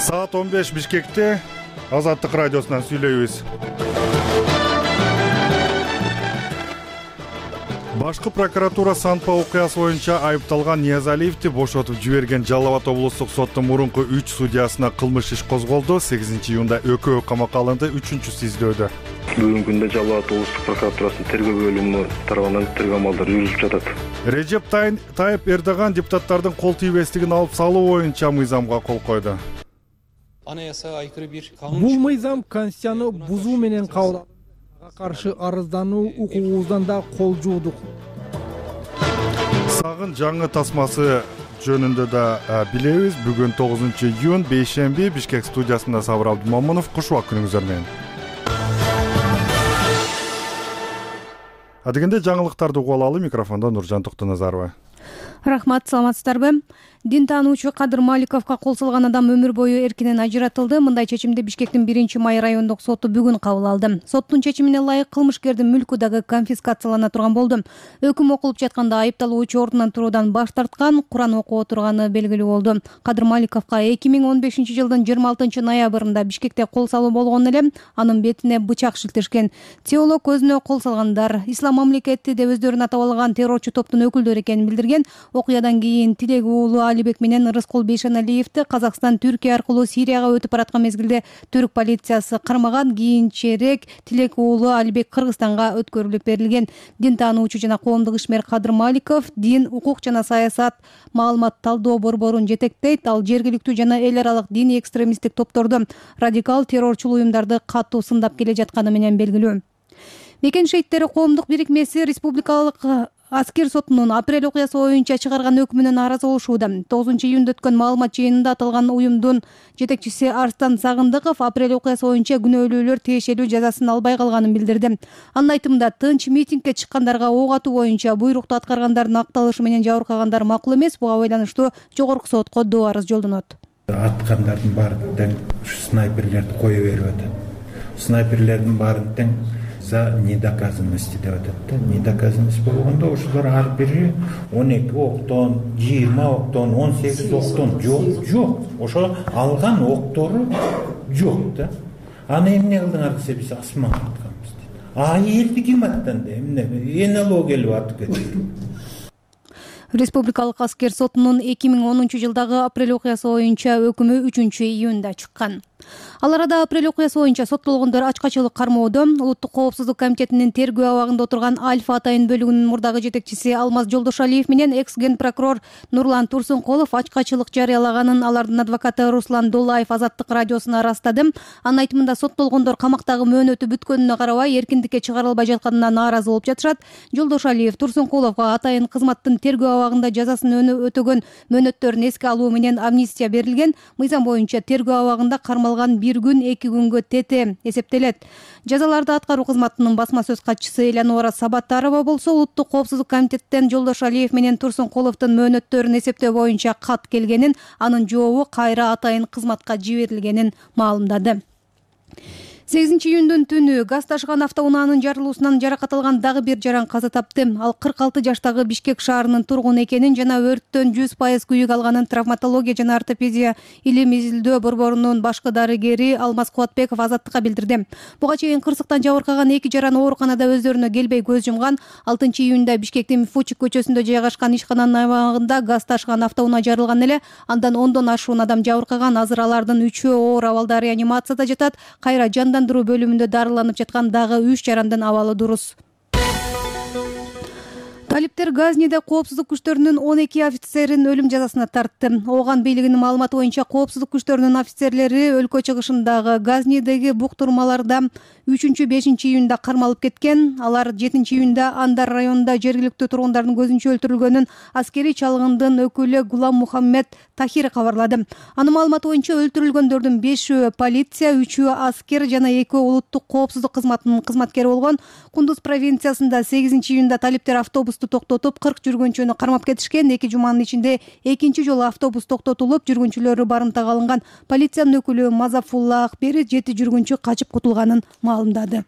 Saat 15 Bişkek'te Azatlık Radyosu'ndan söylüyoruz. Башкы прокуратура Санпа окуясы боюнча айыпталган Ниязалиевди бошотуп жиберген Жалал Абад облустук соттун мурунку 3 судьясына кылмыш иш козголду. 8 июнда экөө камакка алынды, 3-үчүсү издөөдө. Бүгүнкү күндө Жалал Абад облустук прокуратурасынын тергөө бөлүмү тарабынан тергөө амалдары жүрүлүп жатат. Режеп Тайып Эрдоган депутаттардын кол тийбестигин алып салуу боюнча мыйзамга кол койду. Бул мыйзам Конституцияны бузуу менен кабыл каршы арыздануу укугубуздан да кол жуудук. Сагын жаңы тасмасы жөнүндө да билебиз. Бүгүн 9-июнь бейшемби Бишкек студиясында Сабыр Абдумамунов. Куш убак күнүңүздөр менен. Адегенде жаңылыктарды угуп алалы. Микрофондо Нуржан Токтоназарова. Рахмат, саламатсыздарбы? Дин таануучу Кадыр Маликовго кол салган адам өмүр бою эркинен ажыратылды. Мындай чечимди Бишкектин 1-май райондук соту бүгүн кабыл алды. Соттун чечимине ылайык кылмышкердин мүлкү дагы конфискациялана турган болду. Өкүм окулуп жатканда айыпталуучу ордунан туруудан баш тарткан, Куран окуп отурганы белгилүү болду. Кадыр Маликовго 2015-жылдын 26-ноябрында Бишкекте кол салуу болгон эле анын бетине бычак шилтешкен. Теолог өзүнө кол салгандар Ислам мамлекети деп өздөрүн атап алган террорчу топтун өкүлдөрү экенин билдирген. Окуядан кийин Тилек уулу Алибек менен Рыскул Бейшеналиевди Казакстан Түркия аркылуу Сирияга өтүп бараткан мезгилде түрк полициясы кармаган. Кийинчерээк Тилек уулу Алибек Кыргызстанга өткөрүлүп берилген. Дин таануучу жана коомдук ишмер Кадыр Маликов дин, укук жана саясат маалымат талдоо борборун жетектейт. Ал жергиликтүү жана эл аралык диний экстремисттик топторду, радикал террорчул уюмдарды катуу сындап келе жатканы менен белгилүү. Мекен шейиттери коомдук бирикмеси республикалык аскер сотунун апрель окуясы боюнча чыгарган өкүмүнөн нааразы болушууда. 9-июнда өткөн маалымат жыйынында аталган уюмдун жетекчиси Арстан Сагындыков апрель окуясы боюнча күнөөлүүлөр тиешелүү жазасын албай калганын билдирди. Анын айтымында тынч митингге чыккандарга ок атуу боюнча буйрукту аткаргандардын акталышы менен жабыркагандар макул эмес. Буга байланыштуу жогорку сотко доо арыз жолдонот. Аткандардын баарын тең снайперлерди кое берип атат. Снайперлердин баарын тең за недоказанности деп атат. Недоказанность болгондо ошолор ар бири 12 октон, 20 октон, 18 октон жок. Ошо алган октору жок да. Аны эмне кылдыңар десе биз асманга атканбыз дейт. Элди ким аттанды? Эмне НЛО келип атып кетти. Республикалык аскер сотунун 2010-жылдагы апрель окуясы боюнча өкүмү 3-июнда чыккан. Ал арада апрель окуясы боюнча соттолгондор ачкачылык кармоодо. Улуттук коопсуздук комитетинин тергөө абагында отурган Альфа Атайын бөлүгүнүн мурдагы жетекчиси Алмаз Жолдошалиев менен экс-ген прокурор Нурлан Турсункулов ачкачылык жарыялаганын алардын адвокаты Руслан Долаев Азаттык радиосуна ырастады. Анын айтымында соттолгондор камактагы мөөнөтү бүткөнүнө карабай эркиндикке чыгарылбай жатканына нааразы болуп жатышат. Жолдошалиев Турсункуловго Атайын кызматтын тергөө абагында жазасын өтөгөн мөөнөттөрүн эске алуу менен амнистия берилген. Мыйзам боюнча тергөө абагында кармалган 1 күн 2 күнгө тете эсептелет. Жазаларды аткаруу кызматынын басма сөз катчысы Элянора Сабаттарова болсо улуттук коопсуздук комитеттен Жолдошалиев менен Турсункуловдун мөөнөттөрүн эсептөө боюнча кат келгенин, анын жообу кайра Атайын кызматка жиберилгенин маалымдады. 8-июндун түнү газ ташыган автоунаанын жарылуусунан жаракат алган дагы бир жаран каза тапты. Ал 46 жаштагы Бишкек шаарынын тургуну экенин жана өрттөн 100% күйүк алганын травматология жана ортопедия илим изилдөө борборунун башкы дарыгери Алмаз Кубатбеков Азаттыкка билдирди. Буга чейин кырсыктан жабыркаган 2 жаран ооруканада өздөрүнө келбей көз жумган. 6-июнда Бишкектин Фучик көчөсүндө жайгашкан ишкананын аймагында газ ташыган автоунаа жарылган эле. Андан 10дон ашуун адам жабыркаган. Азыр алардын 3-өө оор абалда реанимацияда жатат. Кайра жандандыруу бөлүмүндө дарыланып жаткан дагы 3 жарандын абалы дурус. Талиптер Газниде коопсуздук күчтөрүнүн 12 офицерин өлүм жазасына тартты. Ооган бийлигинин маалыматы боюнча коопсуздук күчтөрүнүн офицерлери өлкө чыгышындагы Газнидеги буктурмаларда 3-5-июнда кармалып кеткен. Алар 7-июнда Андар районунда жергиликтүү тургундардын көзүнчө өлтүрүлгөнүн аскерий чалгындын өкүлү Гулам Мухаммед Тахир кабарлады. Анын маалыматы боюнча өлтүрүлгөндөрдүн 5-өө полиция, 3-өө аскер жана 2-өө улуттук коопсуздук кызматынын кызматкери болгон. Кундуз провинциясында 8-июнда талиптер автобусту токтотуп 40 жүргүнчүнү кармап кетишкен. 2 жуманын ичинде экинчи жолу автобус токтотулуп, жүргүнчүлөрү барымтага алынган. Полициянын өкүлү Мазафулла Акбери 7 жүргүнчү качып кутулганын маалымдады.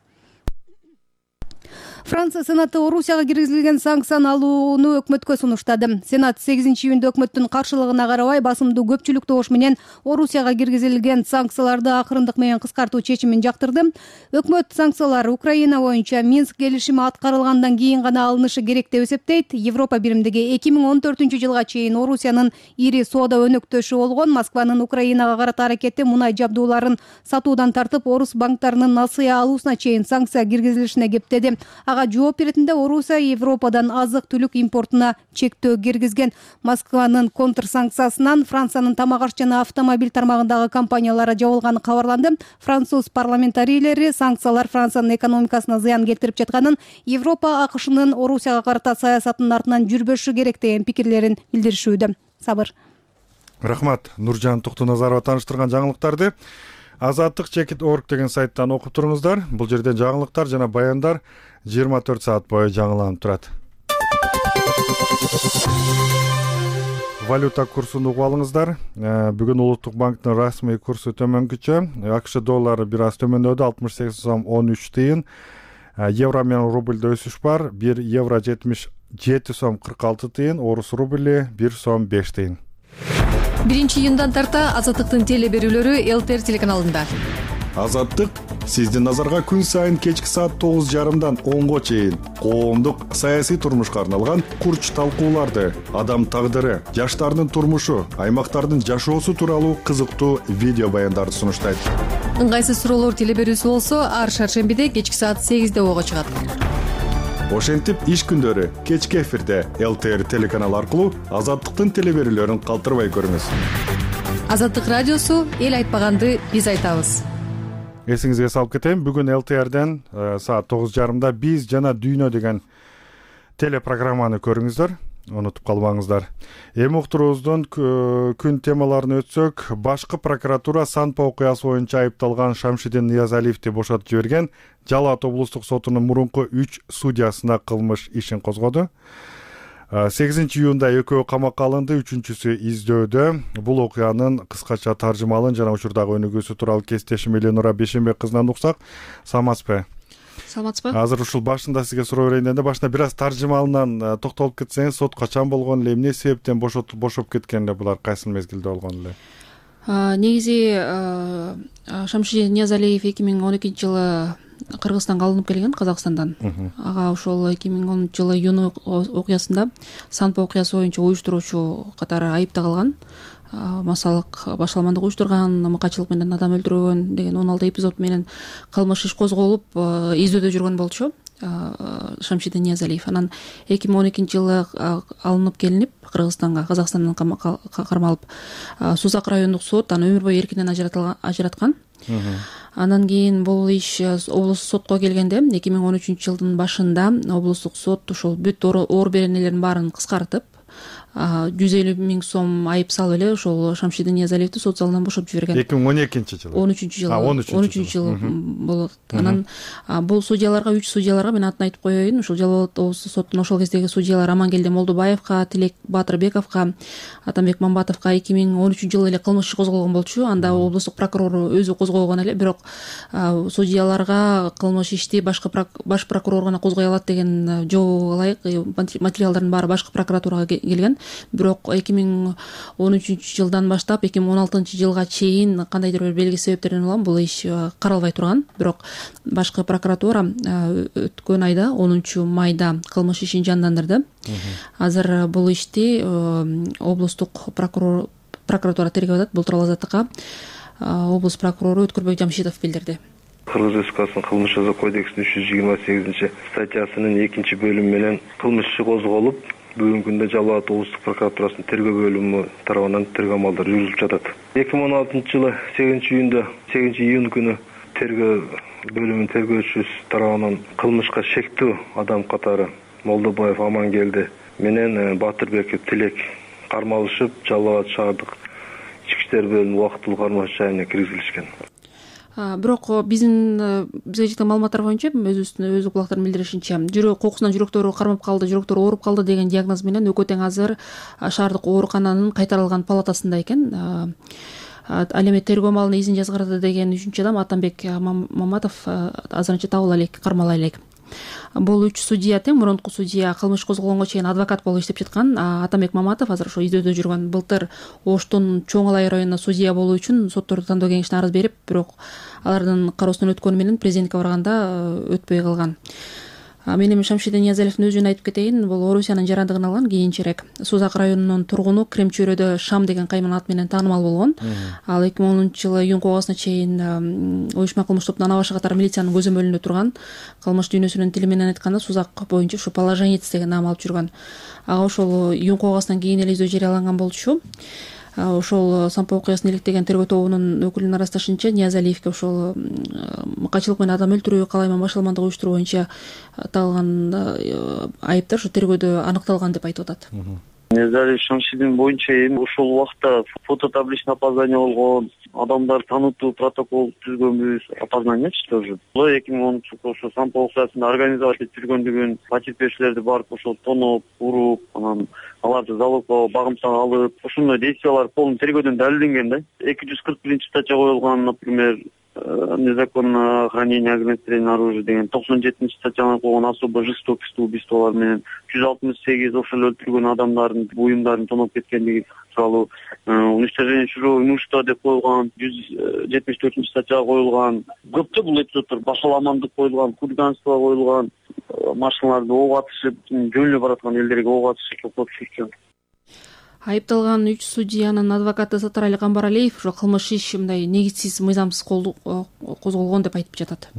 Франция Сенаты Орусияга киргизилген санкцияны алууну өкмөткө сунуштады. Сенат 8-июнда өкмөттүн каршылыгына карабай басымдуу көпчүлүк добуш менен Орусияга киргизилген санкцияларды акырындык менен кыскартуу чечимин жактырды. Өкмөт санкциялар Украина боюнча Минск келишими аткарылгандан кийин гана алынышы керек деп эсептейт. Европа биримдиги 2014-жылга чейин Орусиянын ири соода өнөктөшү болгон Москванын Украинага карата аракети мунай жабдууларын сатуудан тартып, орус банктарынын насыя алуусуна чейин санкция киргизилишине кептеди. Жооп беретинде Орусия Европадан азык-түлүк импортуна чектөө киргизген. Москванын контрсанкциясынан Франциянын тамак-аш жана автомобиль тармагындагы компаниялары жабылганы кабарланды. Француз парламентарийлери санкциялар Франциянын экономикасына зыян келтирип жатканын, Европа АКШнын Орусияга карата саясатынын артынан жүрбөшү керек деген пикирлерин билдиришүүдө. Сабыр. Рахмат. Нуржан Токтоназарова тааныштырган жаңылыктарды Азаттык.org деген сайттан окуп туруңуздар. Бул жерде жаңылыктар жана баяндар 24 саат бою жаңыланып турат. Валюта курсун угуп алыңыздар. Бүгүн Улуттук банктын расмий курсу төмөнкүчө. АКШ доллары бир аз төмөндөдү, 68 сом 13 тыйын. Евро менен рубльдө өсүш бар. 1 евро 77 сом 46 тыйын, орус рубли 1 сом 5 тыйын. 1-июндан тарта Азаттыктын теле берүүлөрү ЛТР телеканалында. Азаттык сиздин назарга күн сайын кечки саат 9:30дан 10го чейин коомдук саясий турмушка арналган курч талкууларды, адам тагдыры, жаштардын турмушу, аймактардын жашоосу тууралуу кызыктуу видео баяндарды сунуштайт. Ыңгайсыз суроолор теле берүүсү болсо, ар шаршембиде кечки саат 8де ого чыгат. Ошентип иш күндөрү кечки эфирде ЛТР телеканалы аркылуу Азаттыктын теле берүүлөрүн калтырбай көрүңүз. Азаттык радиосу эл айтпаганды биз айтабыз. Эсиңизге салып кетейин, бүгүн ЛТРден саат 9:30 биз жана дүйнө деген телепрограмманы көрүңүздөр. Унутуп калбаңыздар. Эми уктуруубуздун күн темаларын өтсөк, башкы прокуратура Санпа окуясы боюнча айыпталган Шамшидин Ниязалиевди бошотуп жиберген Жалал Абад облустук сотунун мурунку 3 судьясына кылмыш ишин козгоду. 8-июнда экөө камакка алынды, 3-чүсү издөөдө. Бул окуянын кыскача таржымалын жана учурдагы өнүгүүсү тууралуу кестешим Эленора Бешенбек кызынан уксак. Саламатсызбы? Саламатсызбы? Азыр ушул башында сизге суроо берейин дегенде, башында бир аз таржымалынан токтолуп кетсеңиз, сот качан болгон эле, эмне себептен бошоп кеткен эле, булар кайсы мезгилде болгон эле? Негизи Шамшидин Ниязалиев 2012-жылы Кыргызстанга алынып келген, Казакстандан. Ага ошол 2010-жылы июнь окуясында Санпа окуясы боюнча уюштуруучу катары айып тагылган. Масалык башаламандык уюштурган, мыкачылык менен адам өлтүргөн деген 16 эпизод менен кылмыш иш козголуп, издөөдө жүргөн болчу Шамшидин Ниязалиев. Анан 2012-жылы алынып келинип Кыргызстанга, Казакстандан кармалып, Сузак райондук сот аны өмүр бою эркинен ажыраткан. Анан кийин бул иш облустук сотко келгенде 2013-жылдын башында облустук сот ошол бүт оор беренелердин баарын кыскартып, 150 000 сом айып салып эле ошол Шамшидин Ниязалиевди сот залынан бошоп жиберген. 2012-жылы. 13-жылы болот. Анан бул судьяларга, 3 судьяларга мен атын айтып коеюн. Ошол Жалал Абад облустук соттун ошол кездеги судьялар Амангелди Молдубаевга, Тилек Батырбековго, Атамбек Мамбатовго 2013-жылы эле кылмыш иш козголгон болчу. Анда облустук прокурор өзү козгогон эле, бирок судьяларга кылмыш ишти баш прокурор гана козгой алат деген жобого ылайык материалдардын баары башкы прокуратурага келген. Бирок 2013-жылдан баштап 2016-жылга чейин кандайдыр бир белгисиз себептерден улам бул иш каралбай турган. Бирок башкы прокуратура өткөн айда 10-майда кылмыш ишин жандандырды. Азыр бул ишти облустук прокуратура тергеп атат. Бул тууралуу Азаттыкка облус прокурору Өткүрбөк Жамшитов билдирди. Кыргыз Республикасынын кылмыш жаза кодексинин 328-статьясынын 2-бөлүмү менен кылмыш иши козголуп, бүгүнкү күндө Жалал Абад облустук прокуратурасынын тергөө бөлүмү тарабынан тергөө амалдары жүрүлүп жатат. 2016-жылы 8-июнь күнү тергөө бөлүмүнүн тергөөчүсү тарабынан кылмышка шектүү адам катары Молдобаев Амангелди менен Батырбеков Тилек кармалышып, Жалал Абад шаардык ички иштер бөлүмүнүн убактылуу кармаш жайына киргизилишкен. Бирок бизге жеткен маалыматтар боюнча өз кулактардын билдиришинче жүрөк кокусунан жүрөктөрү кармап калды, жүрөктөрү ооруп калды деген диагноз менен Өкө тең азыр шаардык оорукананын кайтарылган палатасында экен. Ал эми тергөө маалына изин жазгырды деген 3-адам Атамбек Маматов азырынча табыла элек, кармала элек. Бул 3 судья тең мурунку судья кылмыш козголгонго чейин адвокат болуп иштеп жаткан Атамбек Маматов азыр ошо издөөдө жүргөн. Былтыр Оштун Чоң Алай районуна судья болуу үчүн сотторду тандоо кеңешине арыз берип, бирок алардын кароосунан өткөнү менен президентке барганда өтпөй калган. Мен эми Шамшидин Ниязалиевдин өзүн айтып кетейин. Бул Орусиянын жарандыгын алган кийинчерээк. Сузак районунун тургуну, Крем чөйрөдө Шам деген кайман аты менен таанымал болгон. Ал 2010-жылы июнь кылгасына чейин уюшма кылмыш тобунун ана башы катары милициянын көзөмөлүндө турган. Кылмыш дүйнөсүнүн тили менен айтканда Сузак боюнча ушу положенец деген наам алып жүргөн. Ага ошол июнь кылгасынан кийин эле издөө жарыяланган болчу. Ошол Сампо окуясын иликтеген тергөө тобунун өкүлүнүн арасташынча Ниязалиевке ошол качылык менен адам өлтүрүү, калайма башаламандык уюштуруу боюнча аталган айыптар ошо тергөөдө аныкталган деп айтып атат. Ниязалиев Шамшидин боюнча эми ошол убакта фототабличный опознание болгон, адамдар таанытуу протокол түзгөнбүз, опознаниячы тоже. 2010-жылы ошо Сампо окуясында организовать этип жүргөндүгүн, потерпевшилерди барып ошол тоноп, уруп, анан аларды залогко багымтага алып, ошондой действиялар полный тергөөдөн далилденген да. 241-статья коюлган, например, незаконное хранение огнестрельного оружия деген 97-статьяны койгон особо жестокость убийстволор менен 168 ошол өлтүргөн адамдардын буюмдарын тоноп кеткендиги тууралуу уничтожение чужого имущества деп коюлган, 174-статьяга коюлган. Көптө бул эпизоддор башаламандык коюлган, хулиганство коюлган, машиналарды ок атышып, жөн эле бараткан элдерге ок атышып токтотуп жүрчү. Айыпталган 3 судьянын адвокаты Сатырали Камбаралиев ошо кылмыш иш мындай негизсиз, мыйзамсыз козголгон деп айтып жатат.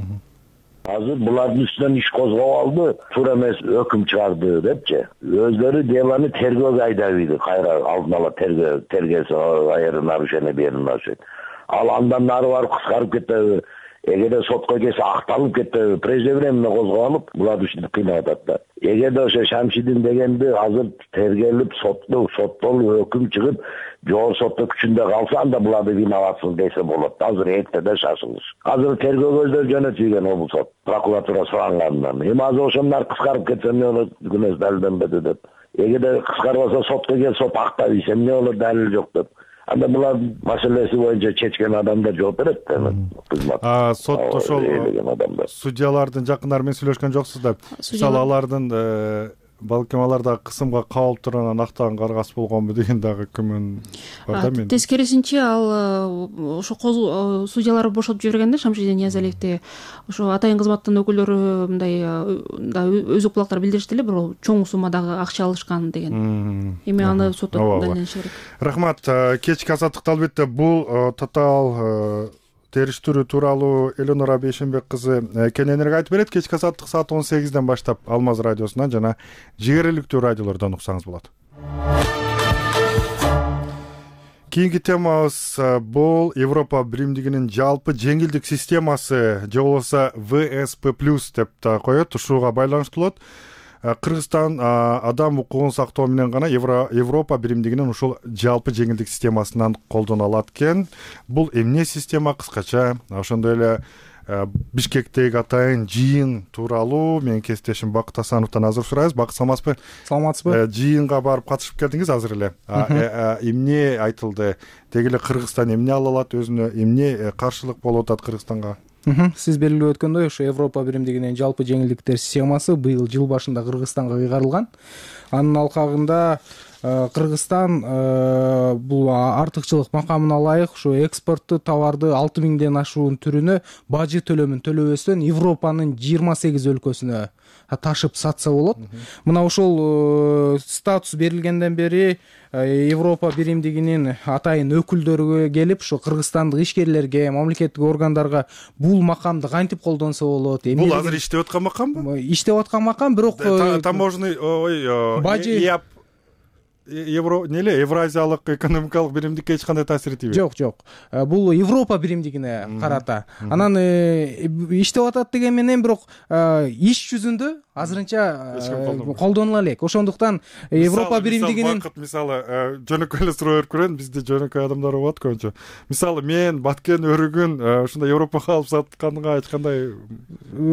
Азыр булардын үстүнөн иш козгоп алды, туура эмес өкүм чыгарды депчи. Өздөрү делону тергөөгө айдап ийди, кайра алдын ала тергөөсү айры нарушение берген нарушение. Ал андан нары барып кыскарып кетти. Эгерде сотко келсе акталып кетти, преждевременно козголуп, булар ушинтип кыйнап атат да. Эгерде ошо Шамшидин дегенди азыр тергелип, соттолуп, өкүм чыгып, жогору сотто күчүндө калса, анда буларды виноватсыз десе болот. Азыр эртеде шашылыш. Азыр тергөө көздөр жөнөтүлгөн облус сот, прокуратура сурангандан. Эми азыр ошондор кыскарып кетсе эмне болот, күнөөсү далилденбеди деп. Эгерде кыскарбаса сотко келсе сот актап ийсе эмне болот, далил жок деп. Анда булар маселеси боюнча чечкен адамдар жооп берет. Сот ошол судьялардын жакындары менен сүйлөшкөн жоксуздар. Мисалы алардын балким алар дагы кысымга кабылып тургандан актаган каргасы болгонбу деген дагы күмөн бар да мен. Тескерисинче ал ошо судьялар бошотуп жибергенде Шамшидин Ниязалиевди ошо атайын кызматтын өкүлдөрү мындай өз кулактар билдиришти эле, бирок чоң суммадагы акча алышкан деген. Эми аны сотто далилдениши керек. Рахмат. Кечки азаттыкта албетте бул тотал териштирүү тууралуу Элонора Бейшенбек кызы кененирээк айтып берет. Кечки азаттык саат 18-ден баштап Алмаз радиосунан жана жигериликтүү радиолордон уксаңыз болот. Кийинки темабыз бул Европа биримдигинин жалпы жеңилдик системасы, же болбосо ВСП+ деп да коет. Ушуга байланыштуу болот. Кыргызстан адам укугун сактоо менен гана Европа биримдигинин ушул жалпы жеңилдик системасынан колдоно алат экен. Бул эмне система кыскача? Ошондой эле Бишкектеги атайын жыйын тууралуу менин кесиптешим Бакыт Асановдон азыр сурайбыз. Бакыт, саламатсызбы? Саламатсызбы? Жыйынга барып катышып келдиңиз азыр эле. Эмне айтылды? Деги эле Кыргызстан эмне ала алат өзүнө? Эмне каршылык болуп атат Кыргызстанга? Сиз белгилеп өткөндөй, ошо Европа биримдигинин жалпы жеңилдиктер системасы быйыл жыл башында Кыргызстанга кыйгарылган. Анын алкагында Кыргызстан бул артыкчылык макамына ылайык ушу экспорттуу товарды 6000ден ашуун түрүнө бажы төлөмүн төлөбөстөн Европанын 28 өлкөсүнө ташып сатса болот. Мына ошол статус берилгенден бери Европа биримдигинин атайын өкүлдөрү келип, ушу кыргызстандык ишкерлерге, мамлекеттик органдарга бул макамды кантип колдонсо болот? Бул азыр иштеп аткан макамбы? Иштеп аткан макам, бирок таможенный бажы Евразиялык экономикалык биримдикке эч кандай таасир этпейт. Жок. Бул Европа биримдигине карата. Анан иштеп атат деген менен, бирок иш жүзүндө азырынча колдонула элек. Ошондуктан Европа биримдигинин мисалы жөнөкөй эле суроо берип көрөйүн. Бизде жөнөкөй адамдар болот көбүнчө. Мисалы мен баткен өрүгүн ушундай Европага алып сатканга эч кандай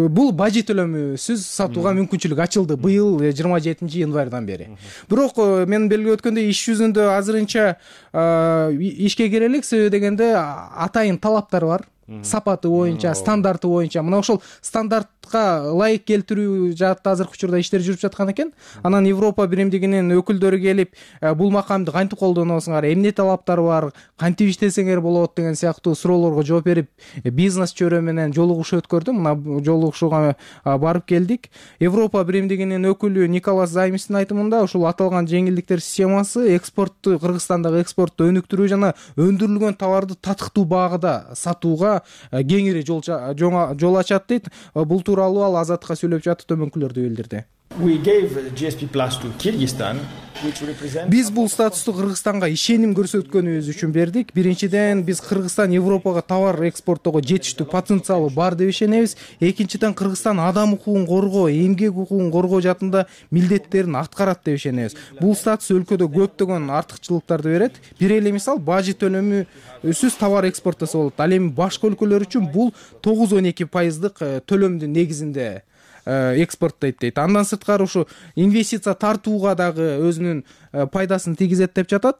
бул бажы төлөмүсүз сатууга мүмкүнчүлүк ачылды быйыл 27-январдан бери. Бирок мен белгилеп өткөндөй иш жүзүндө азырынча ишке кире элек, себеби дегенде атайын талаптар бар. Сапаты боюнча, стандарты боюнча. Мына ошол стандарт стандартка ылайык келтирүү жаатта азыркы учурда иштер жүрүп жаткан экен. Анан Европа биримдигинин өкүлдөрү келип бул макамды кантип колдоносуңар, эмне талаптар бар, кантип иштесеңер болот деген сыяктуу суроолорго жооп берип, бизнес чөйрө менен жолугуш өткөрдү. Мына жолугушууга барып келдик. Европа биримдигинин өкүлү Николас Займистин айтымында ушул аталган жеңилдиктер системасы экспортту, Кыргызстандагы экспортту өнүктүрүү жана өндүрүлгөн товарды татыктуу баагда сатууга кеңири жол ачат дейт. Бул тууралуу ал Азаттыкка сүйлөп жатып төмөнкүлөрдү билдирди. Биз бул статусту Кыргызстанга ишеним көрсөткөнүбүз үчүн бердик. Биринчиден, биз Кыргызстан Европага товар экспорттоого жетиштүү потенциалы бар деп ишенебиз. Экинчиден, Кыргызстан адам укугун коргоо, эмгек укугун коргоо жаатында милдеттерин аткарат деп ишенебиз. Бул статус өлкөдө көптөгөн артыкчылыктарды берет. Бир эле мисал, бажы төлөмүсүз товар экспорттосо болот. Ал эми башка өлкөлөр үчүн бул 9-12% төлөмдүн негизинде экспорттойт дейт. Андан сырткары ушу инвестиция тартууга дагы өзүнүн пайдасын тийгизет деп жатат.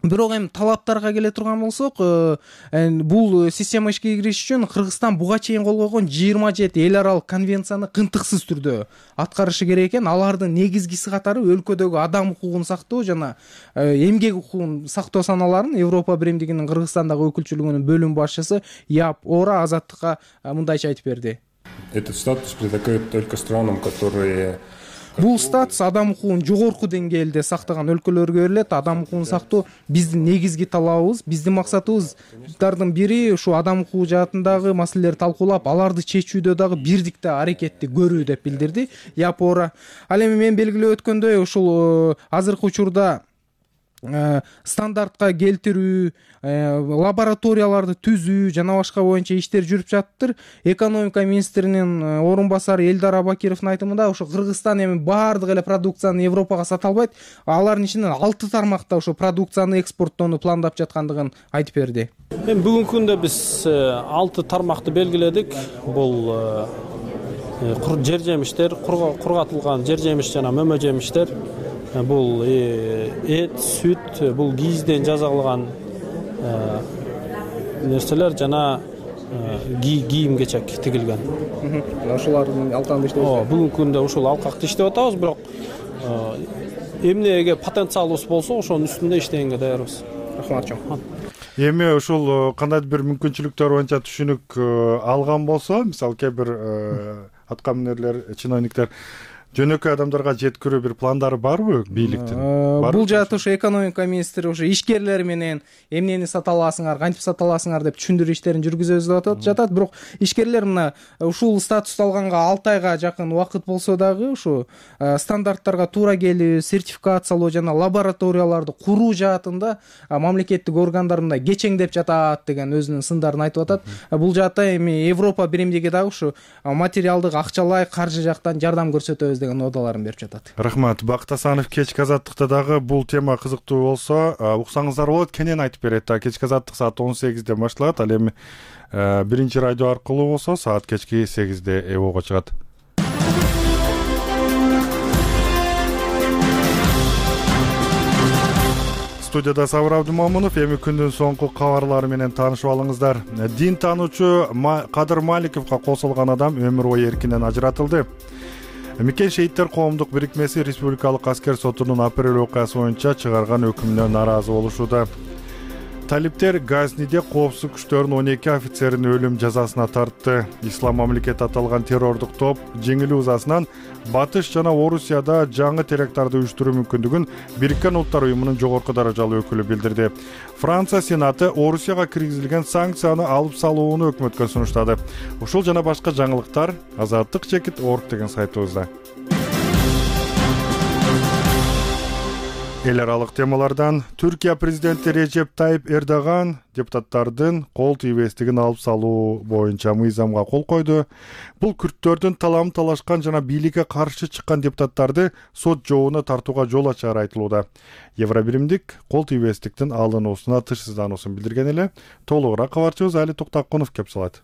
Бирок эми талаптарга келе турган болсок, бул система ишке кириш үчүн Кыргызстан буга чейин кол койгон 27 эл аралык конвенцияны кынтыксыз түрдө аткарышы керек экен. Алардын негизгиси катары өлкөдөгү адам укугун сактоо жана эмгек укугун сактоо саналарын Европа биримдигинин Кыргызстандагы өкүлчүлүгүнүн бөлүм башчысы Яп Ора Азаттыкка мындайча айтып берди. Этот статус предлагают только странам, которые... Бул статус адам укугун жогорку деңгээлде сактаган өлкөлөргө берилет. Адам укугун сактоо биздин негизги талабыбыз, биздин максатыбыздардын бири ушу адам укугу жаатындагы маселелерди талкуулап, аларды чечүүдө дагы бирдикте аракетти көрүү деп билдирди Япора. Ал эми мен белгилеп өткөндөй, ушул азыркы учурда стандартка келтирүү, лабораторияларды түзүү жана башка боюнча иштер жүрүп жатыптыр. Экономика министринин орун басары Элдар Абакировдун айтымында ушу Кыргызстан эми баардык эле продукцияны Европага сата албайт. Алардын ичинен 6 тармакта ушу продукцияны экспорттоону пландап жаткандыгын айтып берди. Эми бүгүнкү күндө биз 6 тармакты белгиледик. Бул жер жемиштер, кургатылган жер жемиш жана мөмө жемиштер. Бул эт, сүт, бул кийизден жасалган нерселер жана кийим-кечек тигилген. Ошолардын алкагында иштеп жатабыз. Бүгүнкү күндө ушул алкакты иштеп атабыз, бирок эмнеге потенциалыбыз болсо, ошонун үстүндө иштегенге даярбыз. Рахмат чоң. Эми ушул кандайдыр бир мүмкүнчүлүктөр боюнча түшүнүк алган болсо, мисалы кээ бир аткаминерлер, чиновниктер жөнөкөй адамдарга жеткирүү бир пландары барбы бийликтин? Бул жаатта ушу экономика министри ушу ишкерлер менен эмнени сата аласыңар, кантип сата аласыңар деп түшүндүрүү иштерин жүргүзүп жатат. Бирок ишкерлер мына ушул статусту алганга 6 айга жакын убакыт болсо дагы ушу стандарттарга туура келүү, сертификациялоо жана лабораторияларды куруу жаатында мамлекеттик органдар мындай кечеңдеп жатат деген өзүнүн сындарын айтып атат. Бул жаатта эми Европа биримдиги дагы ушу материалдык, акчалай, каржы жактан жардам көрсөтөбүз деген оодаларын берип жатат. Рахмат. Бакыт Асанов кечки азаттыкта дагы бул тема кызыктуу болсо, уксаңыздар болот, кенен айтып берет. Кечки азаттык саат 18-де башталат. Ал эми биринчи радио аркылуу болсо саат кечки 8-де эбоого чыгат. Студияда Сабыр Абдымомунов. Эми күндүн соңку кабарлары менен таанышып алыңыздар. Дин таануучу Кадыр Маликовго косулган адам өмүр бою эркинен ажыратылды. Мекен шейиттер коомдук бирикмеси Республикалык аскер сотунун апрель окуясы боюнча чыгарган өкүмүнө нааразы болушууда. Талиптер Газниде коопсуздук күчтөрүнүн 12 офицерин өлүм жазасына тартты. Ислам мамлекети аталган террордук топ жеңилүү ызасынан Батыш жана Орусияда жаңы теракттарды уюштуруу мүмкүндүгүн Бириккен Улуттар уюмунун жогорку даражалуу өкүлү билдирди. Франция Сенаты Орусияга киргизилген санкцияны алып салууну өкмөткө сунуштады. Ушул жана башка жаңылыктар azattik.org деген сайтыбызда. Эл аралык темалардан Түркия президенти Режеп Тайип Эрдоган депутаттардын кол тийбестигин алып салуу боюнча мыйзамга кол койду. Бул күрттөрдүн талам талашкан жана бийликке каршы чыккан депутаттарды сот жообуна тартууга жол ачары айтылууда. Евробиримдик кол тийбестиктин алынуусуна тышсыздануусун билдирген эле. Толугураак кабарчыбыз Али Токтокунов кеп салат.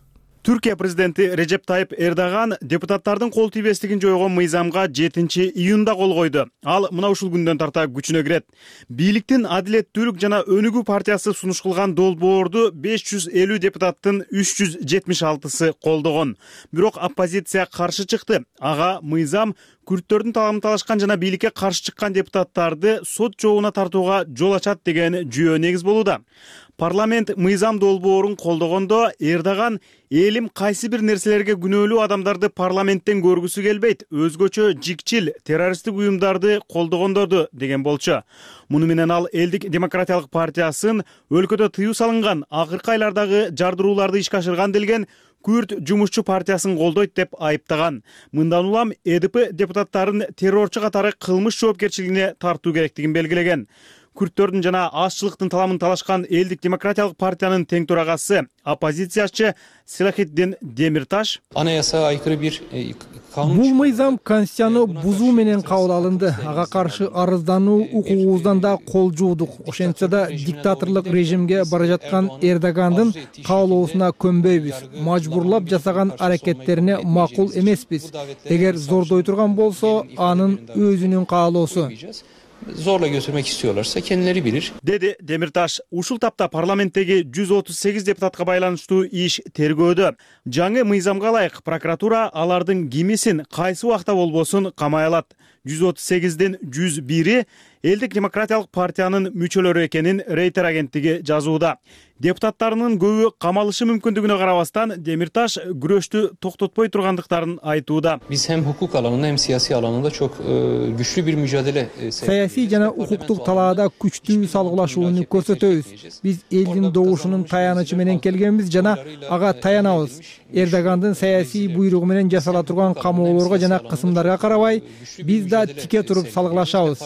Түркия президенти Режеп Тайып Эрдоган депутаттардын кол тийбестигин жойгон мыйзамга 7-июнда кол койду. Ал мына ушул күндөн тарта күчүнө кирет. Бийликтин Адилеттүүлүк жана Өнүгүү партиясы сунуш кылган долбоорду 550 депутаттын 376сы колдогон. Бирок оппозиция каршы чыкты. Ага мыйзам күрттөрдүн талабын талашкан жана бийликке каршы чыккан депутаттарды сот жообуна тартууга жол ачат деген жүйө негиз болууда. Парламент мыйзам долбоорун колдогондо Эрдоган элим кайсы бир нерселерге күнөөлүү адамдарды парламенттен көргүсү келбейт, өзгөчө жикчил террористтик уюмдарды колдогондорду деген болчу. Муну менен ал Элдик демократиялык партиясын өлкөдө тыюу салынган акыркы айлардагы жардырууларды ишке ашырган делген Күрт жумушчу партиясын колдойт деп айыптаган. Мындан улам ЭДП депутаттарын террорчу катары кылмыш жоопкерчилигине тартуу керектигин белгилеген. Күрттөрдүн жана азчылыктын таламын талашкан Элдик демократиялык партиянын тең турагасы, оппозициячы Селахетдин Демирташ анаясага айкыры бир бул мыйзам конституцияны бузуу менен кабыл алынды. Ага каршы арыздануу укугубуздан да кол жуудук. Ошентсе да диктаторлук режимге бара жаткан Эрдогандын каалоосуна көнбөйбүз. Мажбурлап жасаган аракеттерине макул эмеспиз. Эгер зордой турган болсо, анын өзүнүн каалоосу. Zorla götürmek istiyorlarsa kendileri bilir. Dedi Демирташ. Ушул тапта парламенттеги 138 депутатка байланыштуу иш тергөөдө. Жаңы мыйзамга ылайык прокуратура алардын кимисин кайсы убакта болбосун камай алат. 138ден 101-и Элдик демократиялык партиянын мүчөлөрү экенин Рейтер агенттиги жазууда. Депутаттарынын көбү камалышы мүмкүндүгүнө карабастан Демирташ күрөштү токтотпой тургандыктарын айтууда. Biz hem hukuk alanında hem siyasi alanında çok güçlü bir mücadele саясий жана укуктук талаада күчтүү салгылашууну көрсөтөбүз. Биз элдин добушунун таянычы менен келгенбиз жана ага таянабыз. Эрдогандын саясий буйругу менен жасала турган камоолорго жана кысымдарга карабай, биз да тике туруп салгылашабыз.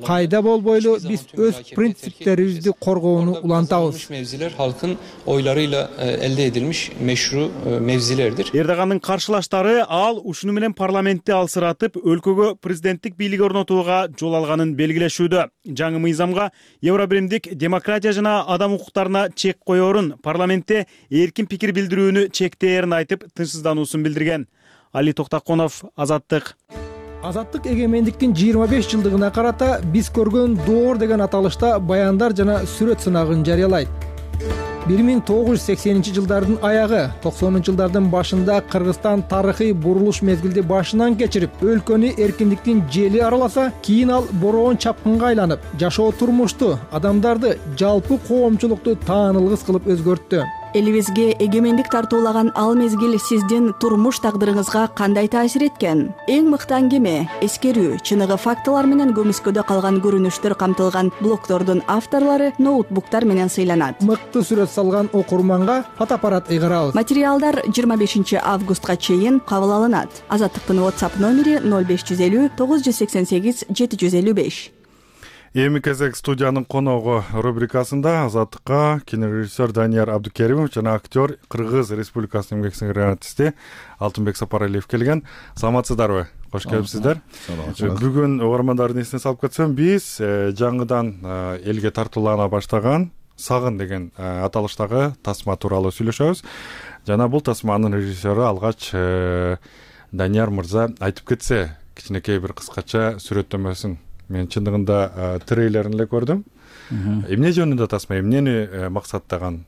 Кайда болбойлу биз өз принциптерибизди коргоону улантабыз. Halkın oylarıyla elde edilmiş meşru mevzilerdir. Эрдогандын каршылаштары ал ушуну менен парламентти алсыратып, өлкөгө президенттик бийлик орнотууга жол алганын белгилешүүдө. Жаңы мыйзамга Евробиримдик демократия жана адам укуктарына чек коерун, парламентте эркин пикир билдирүүнү чектээрин айтып, тынчсыздануусун билдирген. Али Токтаконов, Азаттык. Азаттык эгемендиктин 25 жылдыгына карата биз көргөн доор деген аталышта баяндар жана сүрөт сынагын жарыялайт. 1980-жылдардын аягы, 90-жылдардын башында Кыргызстан тарыхый бурулуш мезгилди башынан кечирип, өлкөнү эркиндиктин жели араласа, кийин ал бороон чапкынга айланып, жашоо турмушту, адамдарды, жалпы коомчулукту таанылгыс кылып өзгөрттү. Элибизге эгемендик тартуулаган ал мезгил сиздин турмуш тагдырыңызга кандай таасир эткен? Эң мыкты аңгеме, эскерүү, чыныгы фактылар менен көмүскөдө калган көрүнүштөр камтылган блогдордун авторлору ноутбуктар менен сыйланат. Мыкты сүрөт салган окурманга фотоаппарат ыйгарабыз. Материалдар 25 августка чейин кабыл алынат. Азаттыктын WhatsApp номери 0550 988 755. Эми кезек студиянын коногу рубрикасында Азаттыкка кинорежиссер Данияр Абдукеримов жана актер Кыргыз Республикасынын эмгек сиңирген артисти Алтынбек Сапаралиев келген. Саламатсыздарбы? Кош келипсиздер. Бүгүн угармандардын эсине салып кетсем, биз жаңыдан элге тартуулана баштаган Сагын деген аталыштагы тасма тууралуу сүйлөшөбүз. Жана бул тасманын режиссеру алгач Данияр мырза айтып кетсе, кичинекей бир кыскача сүрөттөмөсүн. Мен чындыгында трейлерин эле көрдүм. Эмне жөнүндө тасма, эмнени максаттаган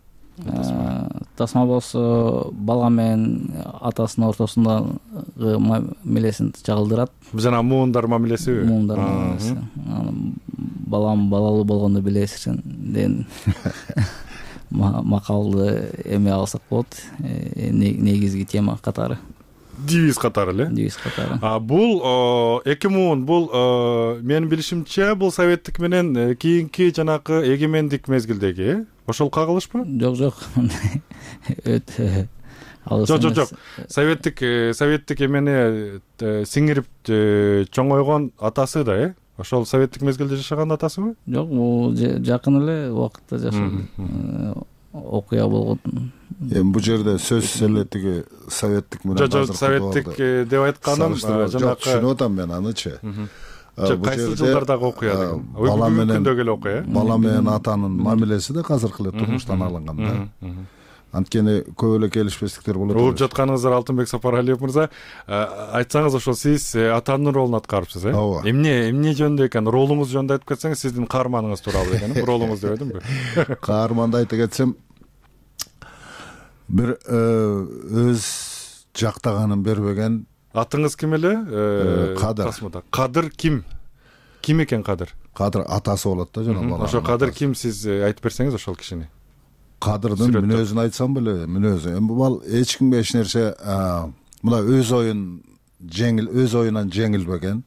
тасма болсо бала менен атасынын ортосундагы мамилесин чагылдырат. Жана муундар мамилесиби? Муундар мамилеси. Балам балалуу болгондо билесиң деген макалды эме алсак болот. Негизги тема катары. Девиз катары эле. Девиз катары. Бул 2010 бул менин билишимче бул советтик менен кийинки жанакы эгемендик мезгилдеги ошол кагылышпы? Жок. Өтө алыс. Жок. Советтик эмени сиңирип чоңойгон атасы да, ошол советтик мезгилде жашаган атасыбы? Жок, бул жакын эле убакытта жашаган. Окуя болгон. Эми бул жерде сөзсүз эле тиги советтик менен азыр советтик деп айтканым жанакы түшүнүп атам мен анычы. Кайсы жылдардагы окуя деген. Бала менен күндөгү эле окуя. Бала менен атанын мамилеси да азыркы эле турмуштан алынган да. анткени көп эле келишпестиктер болот. Угуп жатканыңыздар Алтынбек Сапаралиев мырза, айтсаңыз ошол сиз атанын ролун аткарыпсыз, Ооба. Эмне жөнүндө экен? Ролуңуз жөнүндө айтып кетсеңиз, сиздин каарманыңыз тууралуу экен. Ролуңуз дебедимби? Каарманды айта кетсем, бир өз жактаганын бербеген. Атыңыз ким эле? Кадыр. Кадыр ким? Ким экен Кадыр? Кадыр атасы болот да жана бала. Ошо Кадыр ким, сиз айтып берсеңиз ошол кишини. Кадырдын мүнөзүн айтсам беле, мүнөзү. Эми бул эч кимге эч нерсе мына өз оюнан жеңилбеген.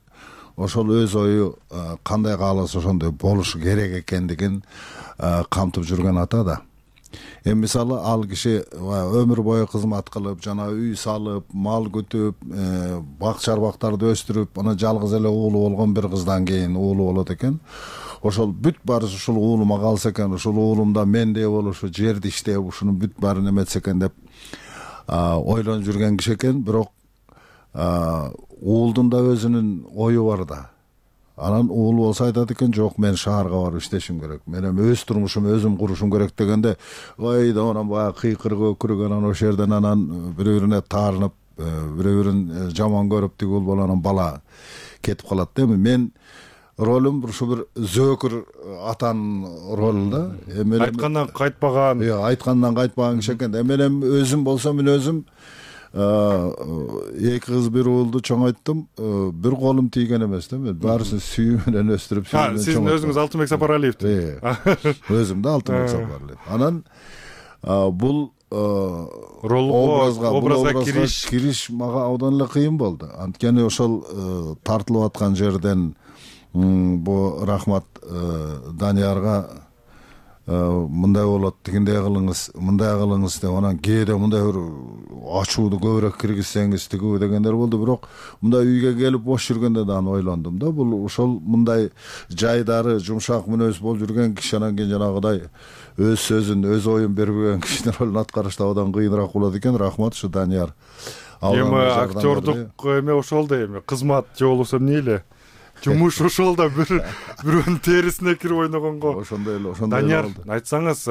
Ошол өз ою кандай кааласа ошондой болушу керек экендигин камтып жүргөн ата да. Эми мисалы ал киши өмүр бою кызмат кылып, жана үй салып, мал күтүп, бак чарбактарды өстүрүп, ана жалгыз эле уулу болгон бир кыздан кийин уулу болот экен. Ошол бүт баарысы ушул уулума калса экен, ушул уулумда мендей болушу, жерди иштеп, ушунун бүт баарын эметсе экен деп ойлонуп жүргөн киши экен. Бирок уулдун да өзүнүн ою бар да. Анан уул болсо айтат экен, жок, мен шаарга барып иштешим керек. Мен эми өз турмушумду өзүм курушум керек дегенде, ой да анан баягы кыйкырып өкүрүп, анан ошол жерден анан бири-бирине таарынып, бири-бирин жаман көрүп, тигил болуп анан бала кетип калат да. Эми мен ролум ушу бир зөөкүр атанын ролу да. Айткандан кайтпаган. Айткандан кайтпаган киши экен. Мен өзүм болсом, мен өзүм эки кыз бир уулду чоңойттум, бир колум тийген эмес да. Мен баарысын сүйүү менен өстүрүп, Сиздин өзүңүз Алтынбек Сапаралиевти. Өзүм да Алтынбек Сапаралиев. Анан бул образга кириш мага абдан эле кыйын болду. Анткени ошол тартылып аткан жерден бу рахмат Даниярга мындай болот, тигиндей кылыңыз деп, анан кээде мындай бир ачууду көбүрөөк киргизсеңиз тигүү дегендер болду. Бирок мындай үйгө келип бош жүргөндө да аны ойлондум да. Бул ошол мындай жайдары, жумшак мүнөз болуп жүргөн киши анан кийин жанагыдай өз сөзүн, өз оюн бербеген кишинин ролун аткарышта абдан кыйыныраак болот экен. Рахмат ушу Данияр. Эми актёрдук эме ошол да, эми кызмат же болбосо эмне эле жумуш ошол да бирөөнүн терисине кирип ойногонго. Ошондой эле. Данияр, айтсаңыз,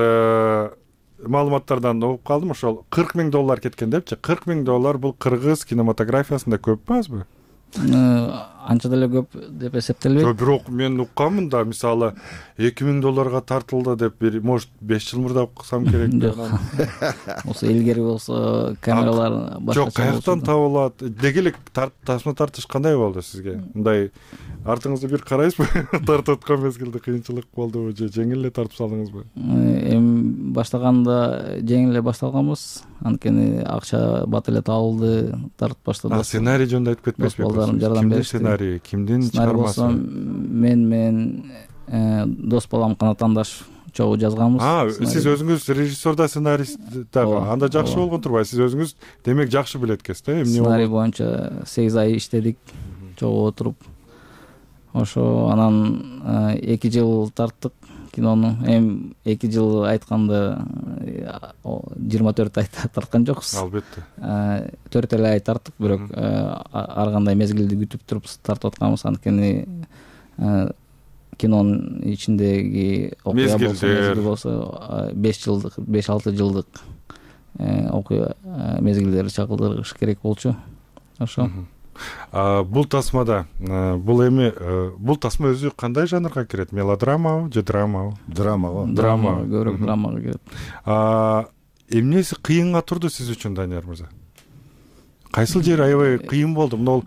маалыматтардан угуп калдым, ошол $40 000 кеткен депчи. $40 000 бул кыргыз кинематографиясында көппү, азбы? Анча деле көп деп эсептелбейт. Бирок мен укканмын да, мисалы $2000 тартылды деп, может 5 жыл мурда уксам керек деп. Осы илгери болсо камералар башкача. Жок, каяктан табылат? Деги эле тасма тартыш кандай болду сизге? Мындай артыңызды бир карайсызбы? Тартып аткан мезгилде кыйынчылык болдубу же жеңил эле тартып салдыңызбы? Эми баштаганда жеңил эле башталганбыз. Анткени акча бат эле табылды, тартып баштадык. Сценарий жөнүндө айтып кетпесизби? Жардам беришти. Сценарий кимдин чыгармасы? Мен дос балам Канатандаш чогуу жазганбыз. Сиз өзүңүз режиссер да, сценарист да. Анда жакшы болгон турбайбы? Сиз өзүңүз демек жакшы билет экенсиз да? Сценарий боюнча 8 ай иштедик, чогуу отуруп. Ошо анан 2 жыл тарттык кинону. Эми 2 жыл айтканда 24 ай тарткан жокпуз. Албетте. 4 эле ай тарттык, бирок ар кандай мезгилди күтүп туруп тартып атканбыз. Анткени кинонун ичиндеги окуя болсо 5-6 жылдык окуя мезгилдери чагылдырыш керек болчу. Ошо. Бул тасмада, бул тасма өзү кандай жанрга кирет? Мелодрамабы же драмабы? Драма, көбүрөөк драмага кирет. Эмнеси кыйынга турду сиз үчүн, Данияр мырза? Кайсыл жери аябай кыйын болду? Мына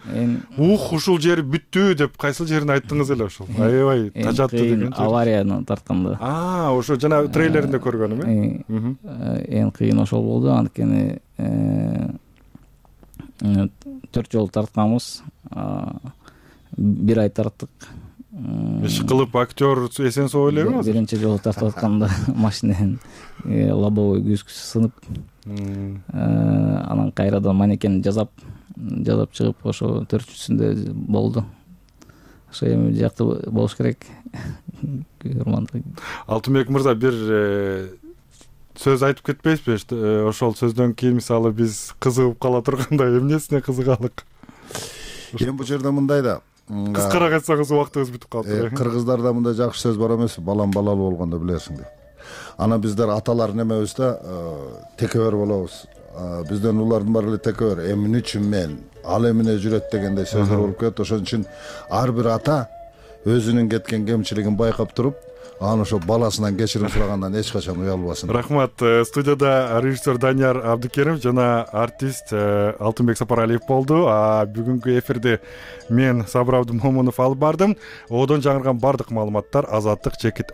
ушул жери бүттү деп кайсыл жерин айттыңыз эле ошол? Аябай тажатты деген жер. Аварияны тартканда. Ошо жана трейлеринде көргөнүм, Эң кыйын ошол болду, анткени 4 жолу тартканбыз. 1 ай тарттык. Иш кылып актер эсен соо элеби? Биринчи жолу тартып атканда машиненин лобовой күзгүсү сынып, анан кайрадан манекен жасап чыгып, ошо 4-чүсүндө болду. Ошо эми жакты болуш керек. Алтынбек мырза, бир сөз айтып кетпейсизби? Ошол сөздөн кийин мисалы биз кызыгып кала турганда эмнесине кызыгалык? Эми бул жерде мындай да. Кыскараак айтсаңыз убактыбыз бүтүп калды. Кыргыздарда мындай жакшы сөз бар эмеспи? Балам балалуу болгондо билерсиң деп. Анан биздер аталар немебизде текебер болобуз. Бизден улардын баары эле текебер. Эмне үчүн мен ал эмне жүрөт дегендей сөздөр болуп кетет. Ошон үчүн ар бир ата өзүнүн кеткен кемчилигин байкап туруп, анан ошо баласынан кечирим сурагандан эч качан уялбасын. Рахмат. Студияда режиссер Данияр Абдыкеримов жана артист Алтынбек Сапаралиев болду. Бүгүнкү эфирди мен Сабыр Абдымомунов алып бардым. Одон жаңырган бардык маалыматтар Азаттык чекит